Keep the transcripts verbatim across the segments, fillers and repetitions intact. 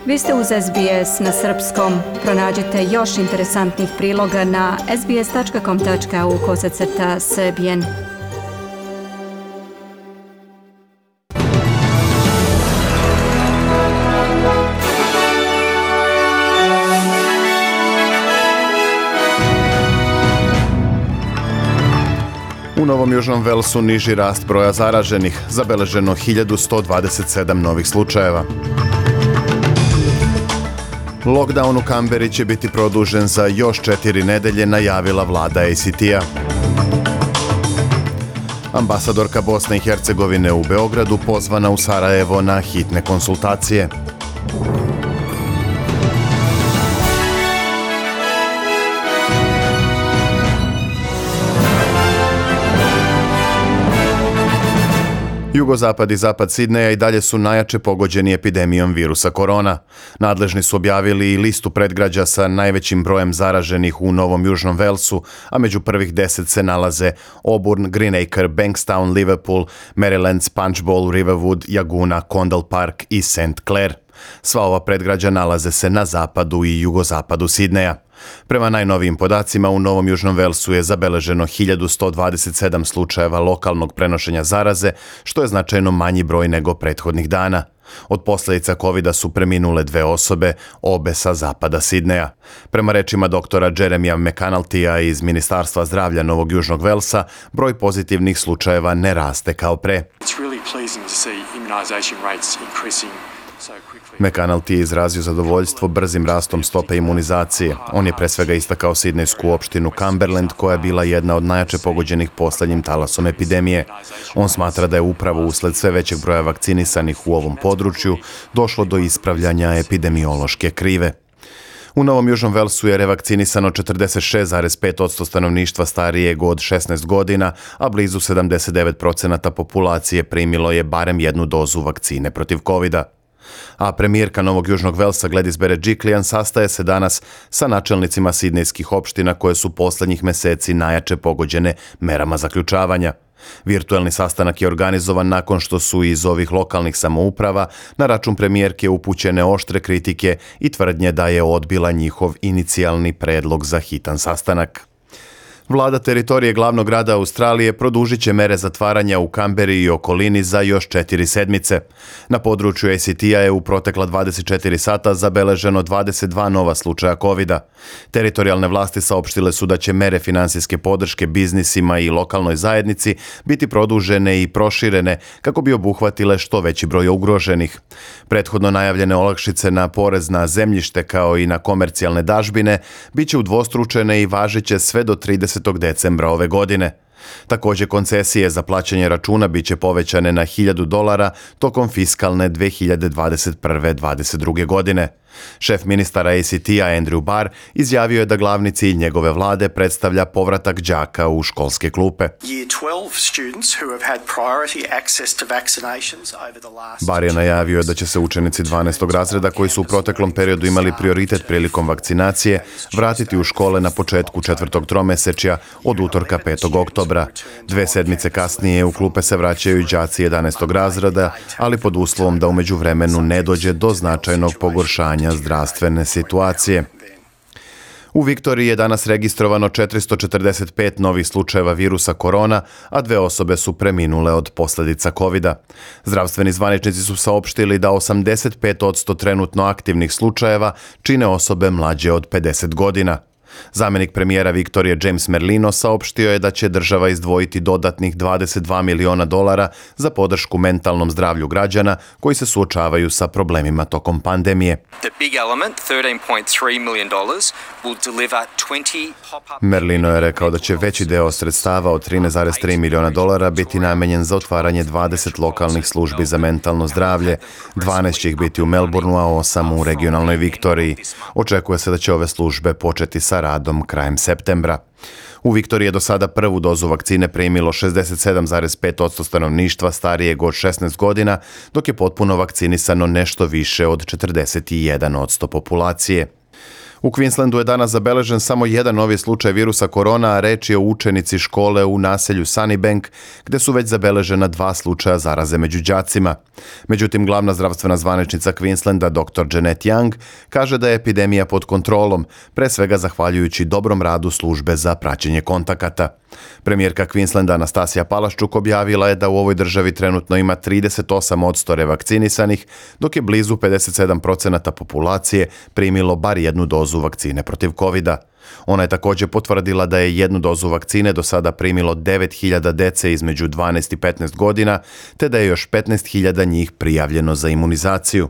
Vi ste uz S B S na srpskom. Pronađite još interesantnih priloga na sbs.com.au kosacrta srbijen. U Novom Južnom Velsu niži rast broja zaraženih, zabeleženo hiljadu sto dvadeset sedam novih slučajeva. Lockdown u Kamberi će biti produžen za još četiri nedelje, najavila vlada A C T-a. Ambasadorka Bosne i Hercegovine u Beogradu pozvana u Sarajevo na hitne konsultacije. Jugozapad i zapad Sidneja i dalje su najjače pogođeni epidemijom virusa korona. Nadležni su objavili i listu predgrađa sa najvećim brojem zaraženih u Novom Južnom Velsu, a među prvih deset se nalaze Auburn, Greenacre, Bankstown, Liverpool, Maryland, Punchbowl, Riverwood, Jaguna, Condell Park i Saint Clair. Sva ova predgrađa nalaze se na zapadu i jugozapadu Sidneja. Prema najnovijim podacima, u Novom Južnom Velsu je zabeleženo hiljadu sto dvadeset sedam slučajeva lokalnog prenošenja zaraze, što je značajno manji broj nego prethodnih dana. Od posljedica kovida su preminule dve osobe, obe sa zapada Sidneja. Prema rečima doktora Jeremija McAnultija iz Ministarstva zdravlja Novog Južnog Velsa, broj pozitivnih slučajeva ne raste kao pre. McAnulty je izrazio zadovoljstvo brzim rastom stope imunizacije. On je pre svega istakao sidnejsku opštinu Cumberland, koja je bila jedna od najjače pogođenih posljednjim talasom epidemije. On smatra da je upravo usled sve većeg broja vakcinisanih u ovom području došlo do ispravljanja epidemiološke krive. U Novom Južnom Velsu je revakcinisano četrdeset šest zarez pet posto stanovništva starijeg od šesnaest godina, a blizu sedamdeset devet posto populacije primilo je barem jednu dozu vakcine protiv kovida. A premijerka Novog Južnog Velsa Gladys Berejiklian sastaje se danas sa načelnicima sidnejskih opština koje su posljednjih meseci najjače pogođene merama zaključavanja. Virtuelni sastanak je organizovan nakon što su iz ovih lokalnih samouprava na račun premijerke upućene oštre kritike i tvrdnje da je odbila njihov inicijalni predlog za hitan sastanak. Vlada teritorije glavnog grada Australije produžit će mere zatvaranja u Kamberi i okolini za još četiri sedmice. Na području A C T-a je u protekla dvadeset četiri sata zabeleženo dvadeset dva nova slučaja kovida. Teritorijalne vlasti saopštile su da će mere finansijske podrške biznisima i lokalnoj zajednici biti produžene i proširene kako bi obuhvatile što veći broj ugroženih. Prethodno najavljene olakšice na porez na zemljište kao i na komercijalne dažbine bit će udvostručene i važiće sve do tridesetog decembra ove godine. Također koncesije za plaćanje računa bit će povećane na hiljadu dolara tokom fiskalne dve hiljade dvadeset prve dvadeset druge godine. Šef ministara A C T-a Andrew Barr izjavio je da glavni cilj njegove vlade predstavlja povratak đaka u školske klupe. Barr je najavio da će se učenici dvanaestog razreda koji su u proteklom periodu imali prioritet prilikom vakcinacije vratiti u škole na početku četvrtog tromesečja od utorka petog oktobra. Dve sedmice kasnije u klupe se vraćaju đaci jedanaestog razreda, ali pod uslovom da u međuvremenu ne dođe do značajnog pogoršanja zdravstvene situacije. U Viktoriji je danas registrovano četiristo četrdeset pet novih slučajeva virusa korona, a dve osobe su preminule od posljedica kovida. Zdravstveni zvaničnici su saopštili da osamdeset pet posto trenutno aktivnih slučajeva čine osobe mlađe od pedeset godina. Zamjenik premijera Viktorije James Merlino saopštio je da će država izdvojiti dodatnih dvadeset dva miliona dolara za podršku mentalnom zdravlju građana koji se suočavaju sa problemima tokom pandemije. Merlino je rekao da će veći deo sredstava od trinaest zarez tri miliona dolara biti namenjen za otvaranje dvadeset lokalnih službi za mentalno zdravlje, dvanaest će ih biti u Melbourneu, a osam u regionalnoj Viktoriji. Očekuje se da će ove službe početi sa radom krajem septembra. U Viktoriji je do sada prvu dozu vakcine primilo šezdeset sedam zarez pet posto stanovništva starijeg od šesnaest godina, dok je potpuno vakcinisano nešto više od četrdeset jedan posto populacije. U Queenslandu je danas zabeležen samo jedan novi slučaj virusa korona, a reč je o učenici škole u naselju Sunnybank, gde su već zabeležena dva slučaja zaraze među đacima. Međutim, glavna zdravstvena zvaničnica Queenslanda, doktor Janet Young, kaže da je epidemija pod kontrolom, pre svega zahvaljujući dobrom radu službe za praćenje kontakata. Premijerka Queenslanda Anastasija Palaščuk objavila je da u ovoj državi trenutno ima trideset osam posto revakcinisanih, dok je blizu pedeset sedam posto populacije primilo bar jednu dozu vakcine protiv kovida. Ona je također potvrdila da je jednu dozu vakcine do sada primilo devet hiljada dece između dvanaest i petnaest godina, te da je još petnaest hiljada njih prijavljeno za imunizaciju.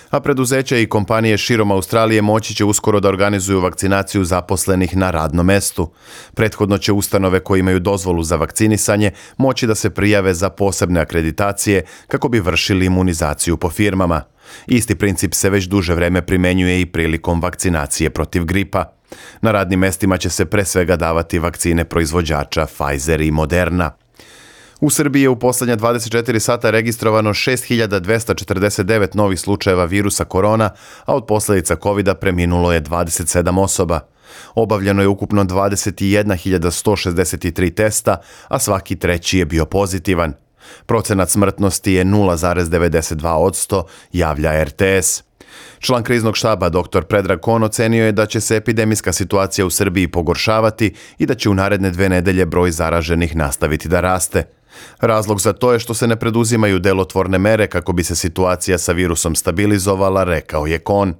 A preduzeća i kompanije širom Australije moći će uskoro da organizuju vakcinaciju zaposlenih na radnom mestu. Prethodno će ustanove koje imaju dozvolu za vakcinisanje moći da se prijave za posebne akreditacije kako bi vršili imunizaciju po firmama. Isti princip se već duže vreme primenjuje i prilikom vakcinacije protiv gripa. Na radnim mestima će se pre svega davati vakcine proizvođača Pfizer i Moderna. U Srbiji je u posljednja dvadeset četiri sata registrovano šest hiljada dvesta četrdeset devet novih slučajeva virusa korona, a od posljedica kovida preminulo je dvadeset sedam osoba. Obavljeno je ukupno dvadeset jedna hiljada sto šezdeset tri testa, a svaki treći je bio pozitivan. Procenat smrtnosti je nula zarez devedeset dva posto, javlja er te es. Član kriznog štaba doktor Predrag Kon ocenio je da će se epidemijska situacija u Srbiji pogoršavati i da će u naredne dve nedelje broj zaraženih nastaviti da raste. Razlog za to je što se ne preduzimaju delotvorne mere kako bi se situacija sa virusom stabilizovala, rekao je Kon.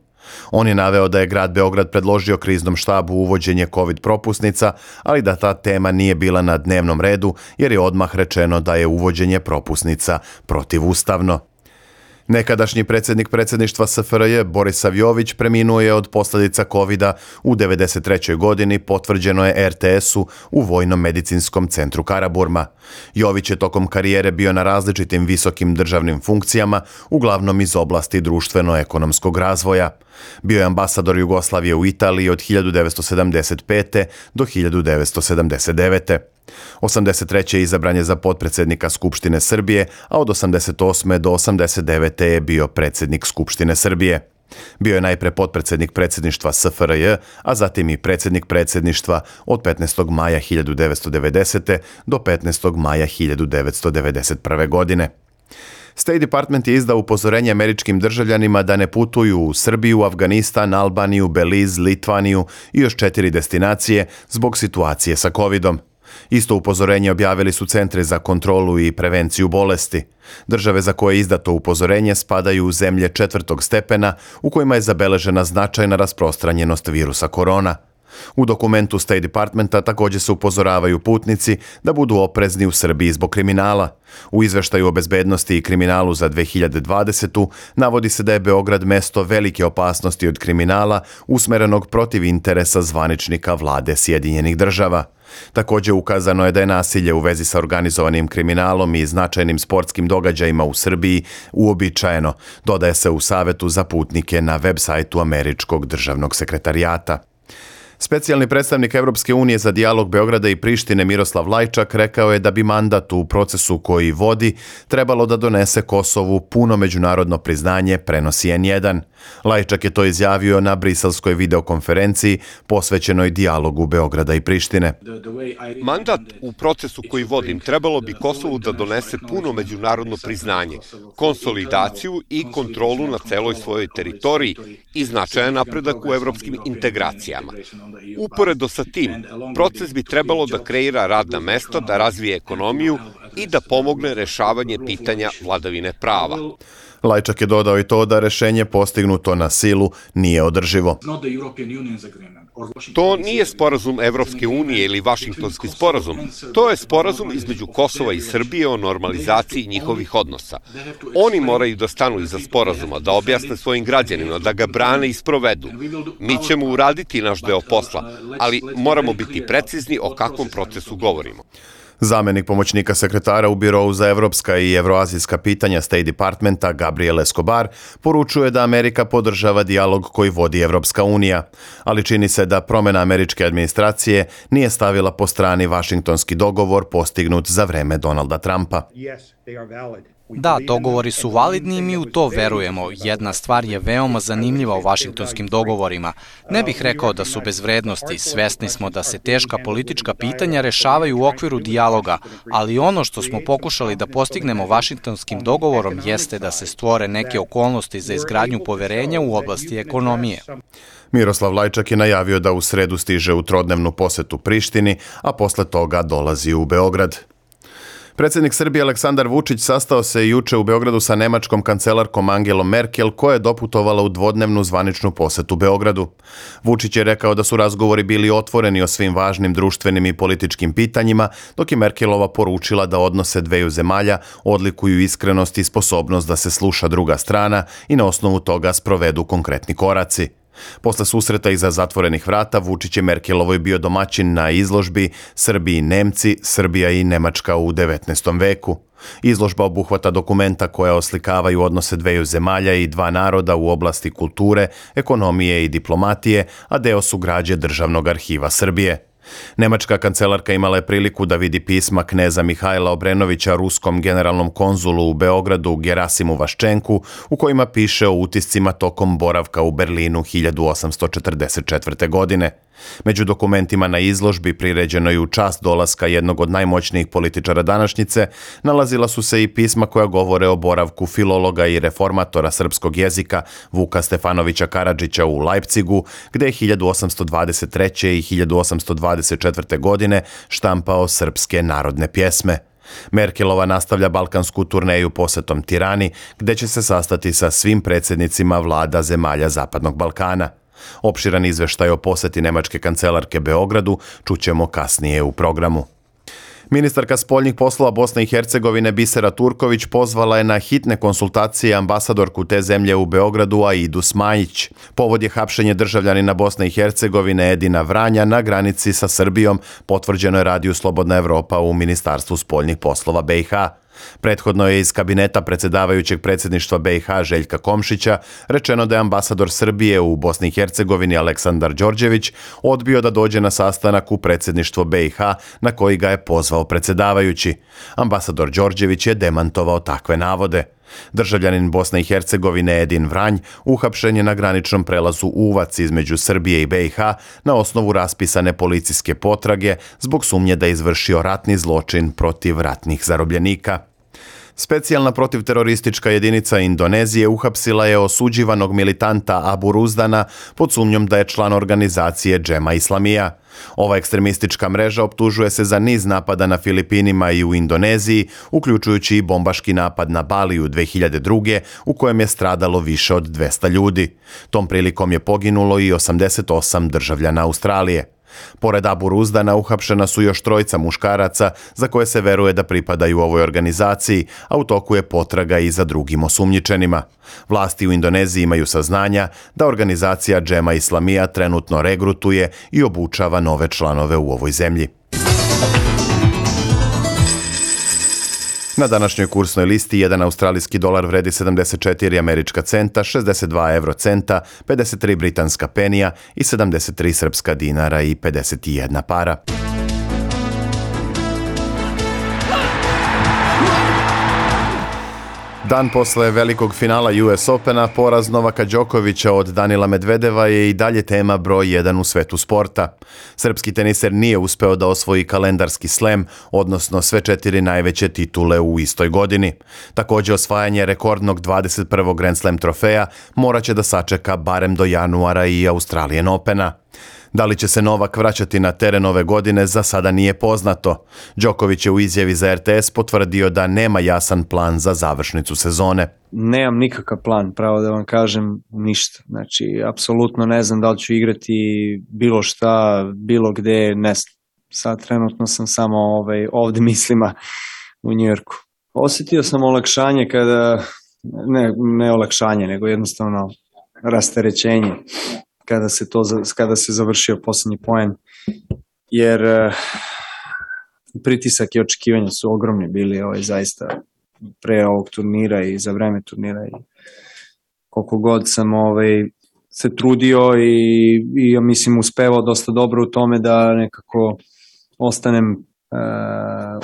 On je naveo da je grad Beograd predložio kriznom štabu uvođenje COVID propusnica, ali da ta tema nije bila na dnevnom redu jer je odmah rečeno da je uvođenje propusnica protivustavno. Nekadašnji predsjednik predsjedništva es fe er je Boris Savjović preminuo je od posljedica kovida u devedeset trećoj godini, potvrđeno je er te esu u Vojno-medicinskom centru Karaburma. Jović je tokom karijere bio na različitim visokim državnim funkcijama, uglavnom iz oblasti društveno-ekonomskog razvoja. Bio je ambasador Jugoslavije u Italiji od hiljadu devetsto sedamdeset pete do hiljadu devetsto sedamdeset devete. osamdeset treće izabran je za potpredsjednika Skupštine Srbije, a od osamdeset osme do osamdeset devete je bio predsjednik Skupštine Srbije. Bio je najpre potpredsjednik predsjedništva es fe er je, a zatim i predsjednik predsjedništva od petnaestog maja hiljadu devetsto devedesete do petnaestog maja hiljadu devetsto devedeset prve. godine. State Department je izdao upozorenje američkim državljanima da ne putuju u Srbiju, Afganistan, Albaniju, Belize, Litvaniju i još četiri destinacije zbog situacije sa covidom. Isto upozorenje objavili su Centri za kontrolu i prevenciju bolesti. Države za koje je izdato upozorenje spadaju u zemlje četvrtog stepena u kojima je zabeležena značajna rasprostranjenost virusa korona. U dokumentu State Departmenta također se upozoravaju putnici da budu oprezni u Srbiji zbog kriminala. U izveštaju o bezbednosti i kriminalu za dve hiljade dvadesetu. navodi se da je Beograd mesto velike opasnosti od kriminala usmerenog protiv interesa zvaničnika vlade Sjedinjenih država. Također ukazano je da je nasilje u vezi sa organizovanim kriminalom i značajnim sportskim događajima u Srbiji uobičajeno, dodaje se u Savetu za putnike na web sajtu Američkog državnog sekretarijata. Specijalni predstavnik Evropske unije za dijalog Beograda i Prištine Miroslav Lajčak rekao je da bi mandat u procesu koji vodi trebalo da donese Kosovu puno međunarodno priznanje, prenosi en jedan. Lajčak je to izjavio na briselskoj videokonferenciji posvećenoj dijalogu Beograda i Prištine. Mandat u procesu koji vodim trebalo bi Kosovu da donese puno međunarodno priznanje, konsolidaciju i kontrolu na celoj svojoj teritoriji i značajan napredak u evropskim integracijama. Uporedo sa tim, proces bi trebalo da kreira radna mesta, da razvije ekonomiju i da pomogne rešavanje pitanja vladavine prava. Lajčak je dodao i to da rešenje postignuto na silu nije održivo. To nije sporazum Evropske unije ili Vašingtonski sporazum. To je sporazum između Kosova i Srbije o normalizaciji njihovih odnosa. Oni moraju da stanu iza sporazuma, da objasne svojim građanima, da ga brane i sprovedu. Mi ćemo uraditi naš deo posla, ali moramo biti precizni o kakvom procesu govorimo. Zamenik pomoćnika sekretara u Birovu za evropska i evroazijska pitanja State Departmenta Gabriel Escobar poručuje da Amerika podržava dijalog koji vodi Evropska unija, ali čini se da promjena američke administracije nije stavila po strani Vašingtonski dogovor postignut za vreme Donalda Trumpa. Da, dogovori su validni i mi u to verujemo. Jedna stvar je veoma zanimljiva u vašingtonskim dogovorima. Ne bih rekao da su bez vrednosti, svesni smo da se teška politička pitanja rešavaju u okviru dijaloga, ali ono što smo pokušali da postignemo vašingtonskim dogovorom jeste da se stvore neke okolnosti za izgradnju poverenja u oblasti ekonomije. Miroslav Lajčak je najavio da u sredu stiže u trodnevnu posetu Prištini, a posle toga dolazi u Beograd. Predsjednik Srbije Aleksandar Vučić sastao se juče u Beogradu sa nemačkom kancelarkom Angelom Merkel, koja je doputovala u dvodnevnu zvaničnu posetu Beogradu. Vučić je rekao da su razgovori bili otvoreni o svim važnim društvenim i političkim pitanjima, dok je Merkelova poručila da odnose dveju zemalja odlikuju iskrenost i sposobnost da se sluša druga strana i na osnovu toga sprovedu konkretni koraci. Posle susreta iza zatvorenih vrata, Vučić je Merkelovoj bio domaćin na izložbi Srbi i Nemci, Srbija i Nemačka u devetnaestom veku. Izložba obuhvata dokumenta koja oslikavaju odnose dveju zemalja i dva naroda u oblasti kulture, ekonomije i diplomatije, a deo su građe Državnog arhiva Srbije. Nemačka kancelarka imala je priliku da vidi pisma kneza Mihajla Obrenovića ruskom generalnom konzulu u Beogradu Gerasimu Vaščenku, u kojima piše o utiscima tokom boravka u Berlinu hiljadu osamsto četrdeset četvrte. godine. Među dokumentima na izložbi, priređenoj u čast dolaska jednog od najmoćnijih političara današnjice, nalazila su se i pisma koja govore o boravku filologa i reformatora srpskog jezika Vuka Stefanovića Karadžića u Leipzigu, gde je hiljadu osamsto dvadeset treće. i hiljadu osamsto dvadeset četvrte. godine štampao srpske narodne pjesme. Merkelova nastavlja balkansku turneju posetom Tirani, gde će se sastati sa svim predsjednicima vlada zemalja Zapadnog Balkana. Opširan izveštaj o poseti nemačke kancelarke Beogradu čućemo kasnije u programu. Ministarka spoljnih poslova Bosne i Hercegovine Bisera Turković pozvala je na hitne konsultacije ambasadorku te zemlje u Beogradu Aidu Smajić. Povod je hapšenje državljanina Bosne i Hercegovine Edina Vranja na granici sa Srbijom, potvrđeno je radiju Slobodna Evropa u Ministarstvu spoljnih poslova B i H. Prethodno je iz kabineta predsjedavajućeg predsjedništva B i H Željka Komšića rečeno da je ambasador Srbije u Bosni i Hercegovini Aleksandar Đorđević odbio da dođe na sastanak u predsjedništvo B i H na koji ga je pozvao predsjedavajući. Ambasador Đorđević je demantovao takve navode. Državljanin Bosne i Hercegovine Edin Vranj uhapšen je na graničnom prelazu Uvac između Srbije i B i H na osnovu raspisane policijske potrage zbog sumnje da je izvršio ratni zločin protiv ratnih zarobljenika. Specijalna protivteroristička jedinica Indonezije uhapsila je osuđivanog militanta Abu Ruzdana pod sumnjom da je član organizacije Džema Islamija. Ova ekstremistička mreža optužuje se za niz napada na Filipinima i u Indoneziji, uključujući i bombaški napad na Baliju dve hiljade druge. u kojem je stradalo više od dvesta ljudi. Tom prilikom je poginulo i osamdeset osam državljana Australije. Pored Abu Ruzdana uhapšena su još trojica muškaraca za koje se veruje da pripadaju ovoj organizaciji, a u toku je potraga i za drugim osumnjičenima. Vlasti u Indoneziji imaju saznanja da organizacija Džema Islamija trenutno regrutuje i obučava nove članove u ovoj zemlji. Na današnjoj kursnoj listi jedan australijski dolar vredi sedamdeset četiri američka centa, šezdeset dva evrocenta, pedeset tri britanska penija i sedamdeset tri srpska dinara i pedeset jedna para. Dan posle velikog finala U S Opena, poraz Novaka Đokovića od Danila Medvedeva je i dalje tema broj jedan u svetu sporta. Srpski teniser nije uspeo da osvoji kalendarski slam, odnosno sve četiri najveće titule u istoj godini. Također osvajanje rekordnog dvadeset prvog Grand Slam trofeja morat će da sačeka barem do januara i Australian Opena. Da li će se Novak vraćati na teren ove godine, za sada nije poznato. Đoković je u izjavi za R T S potvrdio da nema jasan plan za završnicu sezone. Nemam nikakav plan, pravo da vam kažem, ništa. Znači, apsolutno ne znam da li ću igrati bilo šta, bilo gde, ne znam. Sad trenutno sam samo ovaj, ovde mislima u Njujorku. Osjetio sam olakšanje kada, ne, ne olakšanje, nego jednostavno rasterećenje. Kada se, to, kada se završio posljednji poen, jer uh, pritisak i očekivanja su ogromni bili ovaj, zaista pre ovog turnira i za vreme turnira i koliko god sam ovaj, se trudio i, i ja mislim uspevao dosta dobro u tome da nekako ostanem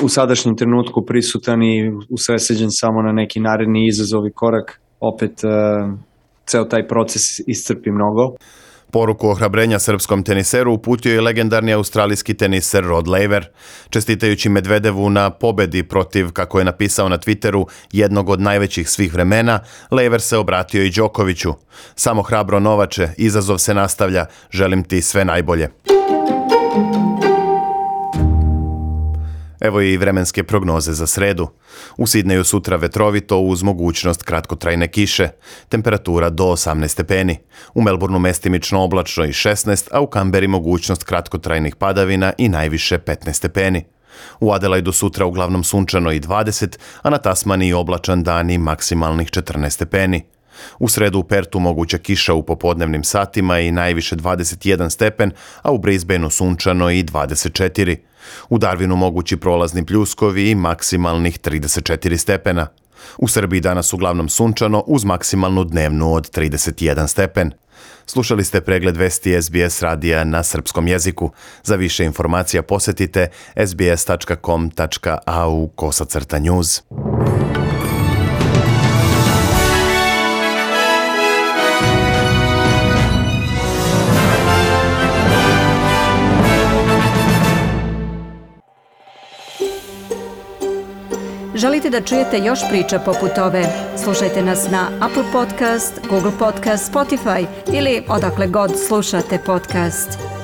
u sadašnjem trenutku prisutan i usredsređen samo na neki naredni izazov i korak. Opet ceo taj proces iscrpi mnogo. Poruku ohrabrenja srpskom teniseru uputio je legendarni australijski teniser Rod Laver. Čestitajući Medvedevu na pobedi protiv, kako je napisao na Twitteru, jednog od najvećih svih vremena, Laver se obratio i Đokoviću. Samo hrabro Novače, izazov se nastavlja, želim ti sve najbolje. Evo i vremenske prognoze za sredu. U Sidneju sutra vetrovito uz mogućnost kratkotrajne kiše. Temperatura do osamnaest stepeni. U Melbourneu mestimično oblačno i šesnaest, a u Kamberi mogućnost kratkotrajnih padavina i najviše petnaest stepeni. U Adelaidu sutra uglavnom sunčano i dvadeset, a na Tasmaniji oblačan dan i maksimalnih četrnaest stepeni. U sredu u Pertu moguća kiša u popodnevnim satima i najviše dvadeset jedan stepen, a u Brisbaneu sunčano i dvadeset četiri. U Darwinu mogući prolazni pljuskovi i maksimalnih trideset četiri stepena. U Srbiji danas uglavnom sunčano uz maksimalnu dnevnu od trideset jedan stepen. Slušali ste pregled vesti S B S radija na srpskom jeziku. Za više informacija posetite s b s tačka com tačka a u kosacrta news. Želite da čujete još priča poput ove? Slušajte nas na Apple Podcast, Google Podcast, Spotify ili odakle god slušate podcast.